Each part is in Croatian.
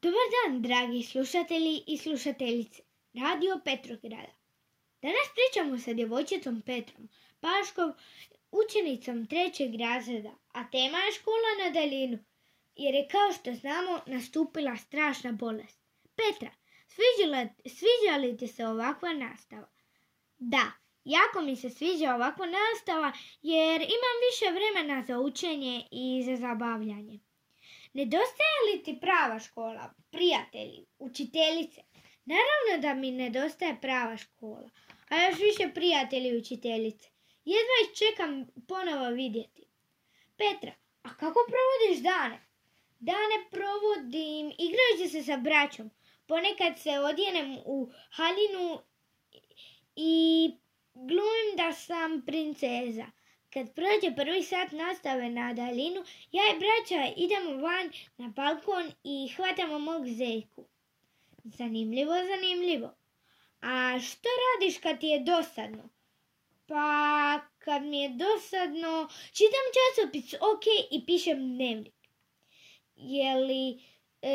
Dobar dan, dragi slušatelji i slušateljice Radio Petrograda. Danas pričamo sa djevojčicom Petrom Paškov, učenicom 3. razreda, a tema je škola na daljinu, jer je, kao što znamo, nastupila strašna bolest. Petra, sviđa li ti se ovakva nastava? Da, jako mi se sviđa ovakva nastava jer imam više vremena za učenje i za zabavljanje. Nedostaje li ti prava škola, prijatelji, učiteljice? Naravno da mi nedostaje prava škola, a još više prijatelji i učiteljice. Jedva ih čekam ponovo vidjeti. Petra, a kako provodiš dane? Dane provodim igrajući se sa braćom. Ponekad se odjenem u haljinu i glumim da sam princeza. Kad prođe prvi sat nastave na daljinu, ja i braća idemo van na balkon i hvatamo mog zeljku. Zanimljivo. A što radiš kad ti je dosadno? Pa kad mi je dosadno, čitam časopis OK i pišem dnevnik.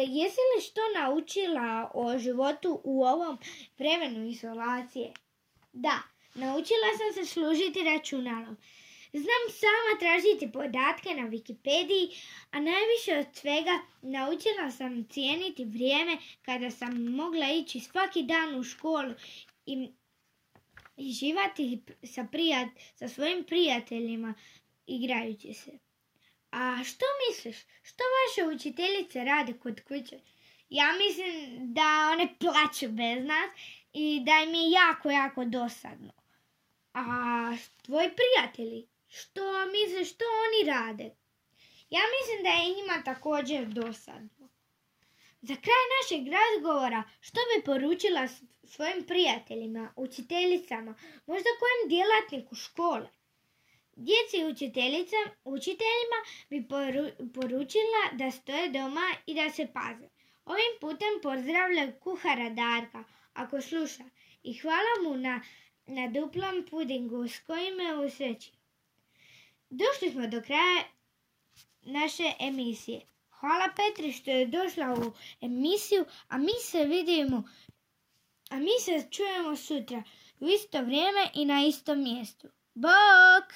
Jesi li što naučila o životu u ovom vremenu izolacije? Da, naučila sam se služiti računalom. Znam sama tražiti podatke na Wikipediji, a najviše od svega naučila sam cijeniti vrijeme kada sam mogla ići svaki dan u školu i živati sa svojim prijateljima igrajući se. A što misliš? Što vaše učiteljice rade kod kuće? Ja mislim da one plaču bez nas i da im je jako dosadno. A tvoji prijatelji? Što misliš, što oni rade? Ja mislim da je njima također dosadno. Za kraj našeg razgovora, što bi poručila svojim prijateljima, učiteljicama, možda kojem djelatniku škole? Djeci i učiteljima bi poručila da stoje doma i da se paze. Ovim putem pozdravlja kuhara Darka, ako sluša, i hvala mu na duplom pudingu s kojim me usreći. Došli smo do kraja naše emisije. Hvala Petri što je došla u emisiju, a mi se čujemo sutra u isto vrijeme i na istom mjestu. Bok!